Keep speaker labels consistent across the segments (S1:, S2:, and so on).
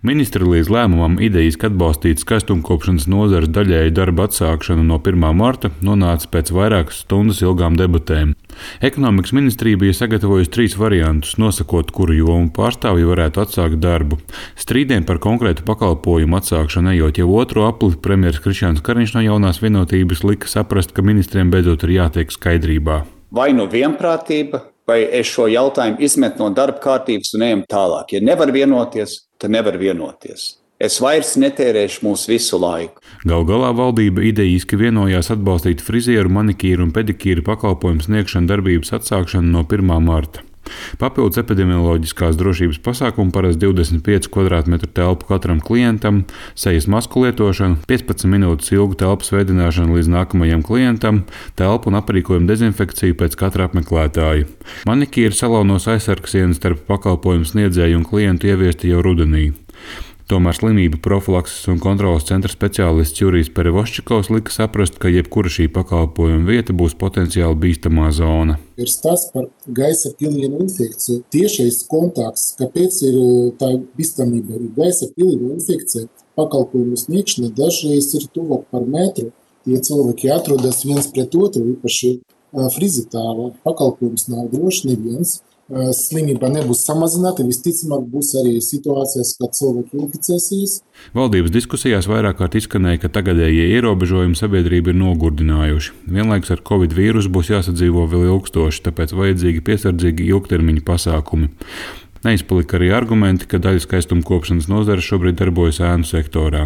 S1: Ministri līdz lēmumam idejiski atbalstīt skaistumkopšanas nozares daļēju darba atsākšanu no 1. marta nonāca pēc vairākas stundas ilgām debatēm. Ekonomikas ministrija bija sagatavojusi 3 variantus, nosakot, kuru jomu pārstāvji varētu atsākt darbu. Strīdiem par konkrētu pakalpojumu atsākšanu ejot jau otro apli, premjeras Krišjāns Kariņš no Jaunās vienotības lika saprast, ka ministriem beidzot ir jātiek skaidrībā.
S2: Vai nu vienprātība, vai es šo jautājumu izmetu no darba kārtības un ejam tālāk. Ja nevar vienoties, tad nevar vienoties. Es vairs netērēšu mūsu visu laiku.
S1: Galu galā valdība idejiski vienojās atbalstīt frizieru, manikīru un pedikīru pakalpojumu sniegšanu darbības atsākšanu no 1. marta. Papildus epidemioloģiskās drošības pasākumu paredz 25 kvadrātmetru telpu katram klientam, sejas masku lietošanu, 15 minūtes ilgu telpas veidināšanu līdz nākamajam klientam, telpu un aprīkojumu dezinfekciju pēc katra apmeklētāja. Manikīra salonos aizsargsienas starp pakalpojumu sniedzēju un klientu ieviesti jau rudenī. Tomēr slimību profilakses un kontroles centra speciālists Jurijs Perevoščikovs lika saprast, ka jebkura šī pakalpojuma vieta būs potenciāli bīstamā zona.
S3: Ir stāsts par gaisa pilienu infekciju. Tiešais kontakts, kāpēc ir tā bīstamība, ir gaisa pilienu infekcija. Pakalpojumu sniegšana dažreiz ir tuvāk par metru. Tie cilvēki atrodas viens pret otru, īpaši frizitāla. Pakalpojums nav droši neviens. Slimība nebūs samazināta, visticamāk būs arī situācijas, kad cilvēki inficēsies.
S1: Valdības diskusijās vairāk kārt izskanēja, ka tagadējie ierobežojumi sabiedrību ir nogurdinājuši. Vienlaikus ar Covid vīrusu būs jāsadzīvo vēl ilgstoši, tāpēc vajadzīgi piesardzīgi ilgtermiņa pasākumi. Neizpalika arī argumenti, ka daļa skaistumkopšanas nozares šobrīd darbojas ēnu sektorā.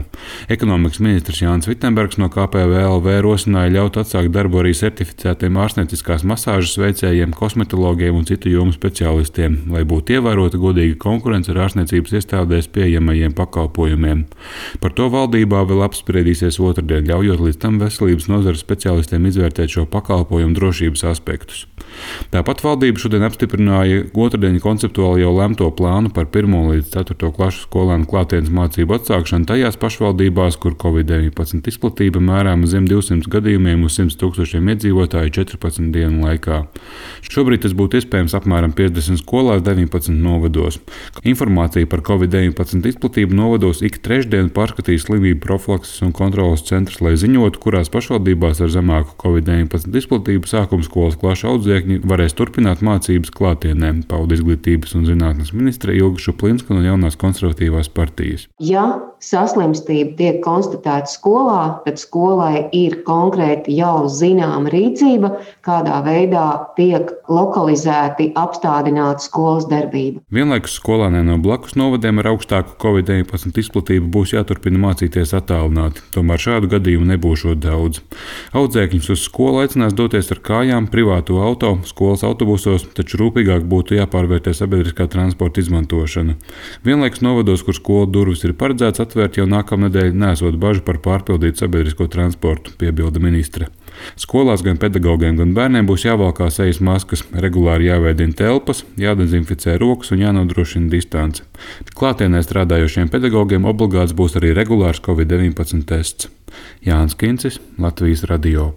S1: Ekonomikas ministrs Jānis Vitsenbergs no KPVLV rosināja ļaut atsākt darbu arī certificētiem ārstnieciskās masāžas veicējiem, kosmetologiem un citu jomu speciālistiem, lai būtu ievērota godīga konkurence ar ārstniecības iestādēs pieejamajiem pakalpojumiem. Par to valdībā vēl apspriedīsies otrdien, ļaujot līdz tam veselības nozares speciālistiem izvērtēt šo pakalpojumu drošības aspektus. Tāpat valdība šodien apstiprināja otrdien konceptuāli jau lemto plānu par 1. līdz 4. klašu skolēnu klātienes mācību atsākšanu tajās pašvaldībās, kur Covid-19 izplatība mērāma zem 200 gadījumiem uz 100 000 iedzīvotāju 14 dienu laikā. Šobrīd tas būtu iespējams apmēram 50 skolās 19 novados. Informācija par Covid-19 izplatību novados ik trešdienu pārskatīs slimību profilakses un kontroles centrs, lai ziņotu, kurās pašvaldībās ar zemāku Covid-19 izplatību sākuma skolas klašu audzēkņi varēs turpināt mācības klātienē, pauda izglītības un zinātnes ministre Ilga Šuplinska no Jaunās konservatīvās partijas.
S4: Ja saslimstība tiek konstatēta skolā, tad skolai ir konkrēti jau zināma rīcība, kādā veidā tiek lokalizēti apstādināta skolas darbība.
S1: Vienlaikus skolēniem no blakus novadiem ar augstāku Covid-19 izplatību būs jāturpina mācīties attālināti, tomēr šādu gadījumu nebūšot daudz. Audzēkņus uz skolu aicinās doties ar kājām, privāto auto, skolas autobusos, taču rūpīgāk būtu jāpārvērtē sabiedriskā transporta izmantošana. Vienlaikus novados, kur skolu durvis ir paredzēts atvērt jau nākamnedēļ, nesot bažu par pārpildītu sabiedrisko transportu, piebilda ministre. Skolās gan pedagogiem, gan bērniem būs jāvalkā sejas maskas, regulāri jāveidina telpas, jādezinficē rokas un jānodrošina distance. Klātienē strādājošiem pedagogiem obligāts būs arī regulārs Covid-19 tests. Jānis Kincis, Latvijas radio.